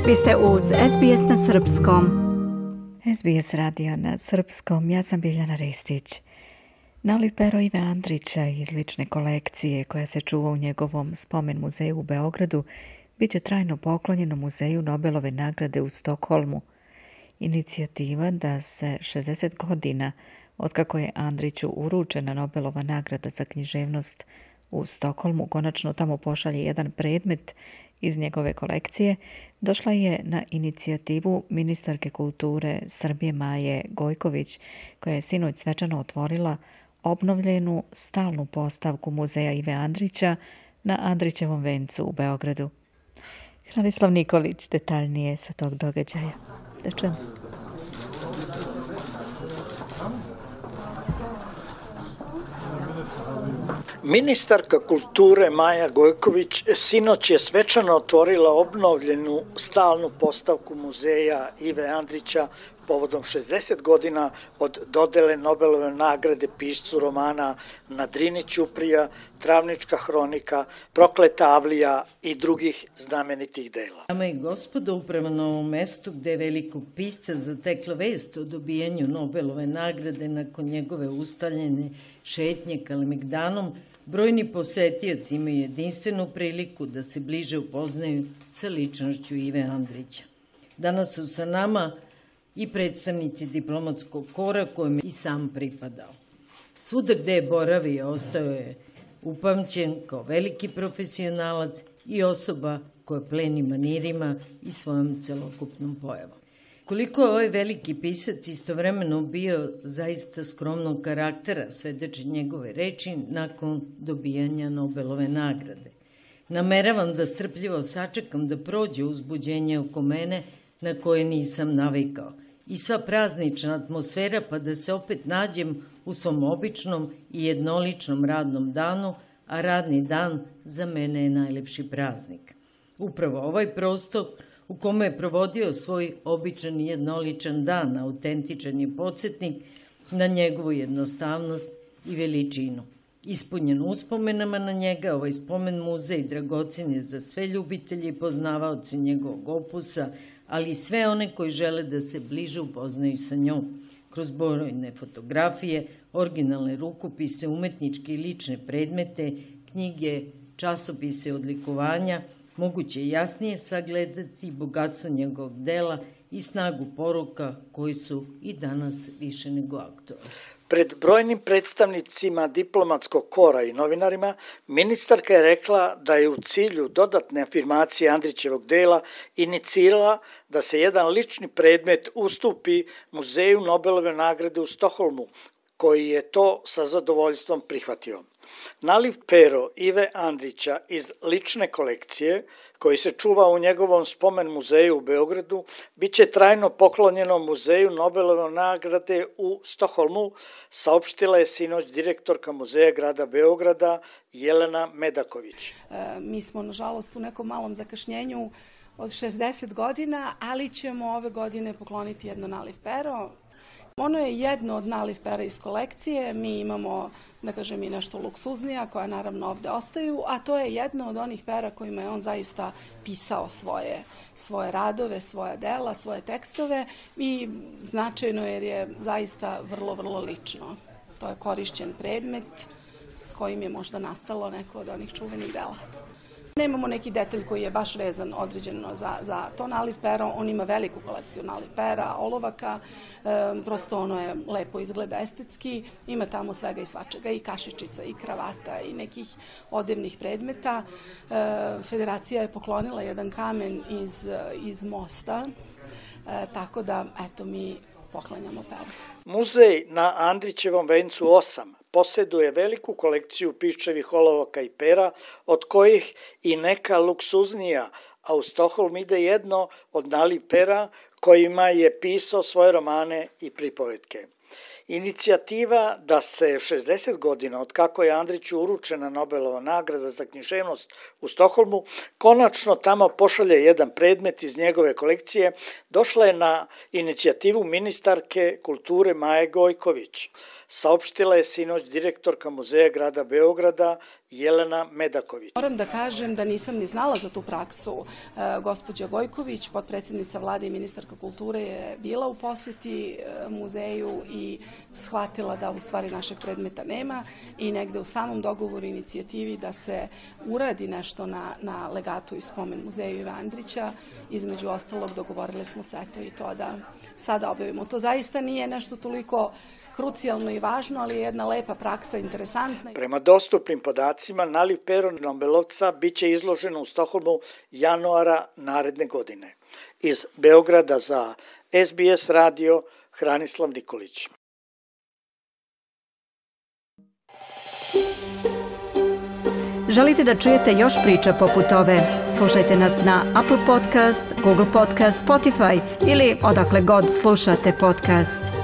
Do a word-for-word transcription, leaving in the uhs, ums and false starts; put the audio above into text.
Vi ste uz S B S na srpskom. S B S radio na srpskom, ja sam Biljana Ristić. Naliv pero Ive Andrića iz lične kolekcije koja se čuva u njegovom spomen muzeju u Beogradu bit će trajno poklonjeno muzeju Nobelove nagrade u Stokholmu. Inicijativa da se šezdeset godina otkako je Andriću uručena Nobelova nagrada za književnost u Stokholmu konačno tamo pošalje jedan predmet iz njegove kolekcije, došla je na inicijativu ministarke kulture Srbije Maje Gojković, koja je sinoć svečano otvorila obnovljenu stalnu postavku muzeja Ive Andrića na Andrićevom vencu u Beogradu. Hranislav Nikolić detaljnije sa tog događaja. Da čujemo. Ministarka kulture Maja Gojković sinoć je svečano otvorila obnovljenu stalnu postavku muzeja Ive Andrića povodom šezdeset godina od dodele Nobelove nagrade piscu romana Na Drini ćuprija, Travnička hronika, Prokleta avlija i drugih znamenitih dela. Dame i gospodo, upravo na ovom mestu gde je velikog pisca zatekla vest o dobijanju Nobelove nagrade nakon njegove ustaljene šetnje Kalemegdanom, brojni posetioci imaju jedinstvenu priliku da se bliže upoznaju sa ličnošću Ive Andrića. Danas su sa nama i predstavnici diplomatskog kora kojem je i sam pripadao. Svuda gde je boravio ostao je upamćen kao veliki profesionalac i osoba koja pleni manirima i svojom celokupnom pojavom. Koliko je ovaj veliki pisac istovremeno bio zaista skromnog karaktera, svedoči njegove reči nakon dobijanja Nobelove nagrade. Nameravam da strpljivo sačekam da prođe uzbuđenje oko mene na koje nisam navikao i sva praznična atmosfera pa da se opet nađem u svom običnom i jednoličnom radnom danu, a radni dan za mene je najlepši praznik. Upravo ovaj prostor u kome je provodio svoj običan i jednoličan dan, autentičan je podsjetnik na njegovu jednostavnost i veličinu. Ispunjen uspomenama na njega, ovaj spomen muzej dragocen je za sve ljubitelje i poznavaoce njegovog opusa, ali i sve one koji žele da se bliže upoznaju sa njom. Kroz brojne fotografije, originalne rukopise, umetničke i lične predmete, knjige, časopise odlikovanja, moguće je jasnije sagledati bogatstvo njegovog dela i snagu poruka koji su i danas više nego aktualni. Pred brojnim predstavnicima diplomatskog kora i novinarima, ministarka je rekla da je u cilju dodatne afirmacije Andrićevog dela inicirala da se jedan lični predmet ustupi muzeju Nobelove nagrade u Stokholmu, koji je to sa zadovoljstvom prihvatio. Naliv pero Ive Andrića iz lične kolekcije, koji se čuva u njegovom spomen muzeju u Beogradu, bit će trajno poklonjeno muzeju Nobelove nagrade u Stokholmu, saopštila je sinoć direktorka muzeja grada Beograda Jelena Medaković. E, mi smo, nažalost, u nekom malom zakašnjenju od šezdeset godina, ali ćemo ove godine pokloniti jedno naliv pero. Ono je jedno od naliv pera iz kolekcije, mi imamo, da kažem, i nešto luksuznija koja naravno ovde ostaju, a to je jedno od onih pera kojima je on zaista pisao svoje, svoje radove, svoja dela, svoje tekstove i značajno jer je zaista vrlo, vrlo lično. To je korišćen predmet s kojim je možda nastalo neko od onih čuvenih dela. Nemamo neki detalj koji je baš vezan određeno za, za to naliv pero, on ima veliku kolekciju naliv pera, olovaka, e, prosto ono je lepo izgleda estetski, ima tamo svega i svačega, i kašičica, i kravata, i nekih odevnih predmeta. E, Federacija je poklonila jedan kamen iz, iz mosta, e, tako da, eto, mi poklanjamo pero. Muzej na Andrićevom vencu osam posjeduje veliku kolekciju piščevih olovaka i pera, od kojih i neka luksuznija, a u Stokholm ide jedno od naliv pera kojima je pisao svoje romane i pripovetke. Inicijativa da se šezdeset godina od kako je Andriću uručena Nobelova nagrada za književnost u Stokholmu konačno tamo pošalje jedan predmet iz njegove kolekcije došla je na inicijativu ministarke kulture Maje Gojković. Saopštila je sinoć direktorka muzeja grada Beograda Jelena Medaković. Moram da kažem da nisam ni znala za tu praksu. E, gospođa Gojković, potpredsjednica vlade i ministarka kulture, je bila u posjeti e, muzeju i shvatila da u stvari našeg predmeta nema i negde u samom dogovoru inicijativi da se uradi nešto na, na legatu i spomen muzeju Ive Andrića. Između ostalog dogovorili smo se eto i to da sada objavimo. To zaista nije nešto toliko krucijalno i važno, ali je jedna lepa praksa, interesantna. Prema dostupnim podacima, naliv pero Nobelovca bit će izloženo u Stokholmu januara naredne godine. Iz Beograda za S B S radio, Hranislav Nikolić. Želite da čujete još priča poput ove? Slušajte nas na Apple Podcast, Google Podcast, Spotify ili odakle god slušate podcast.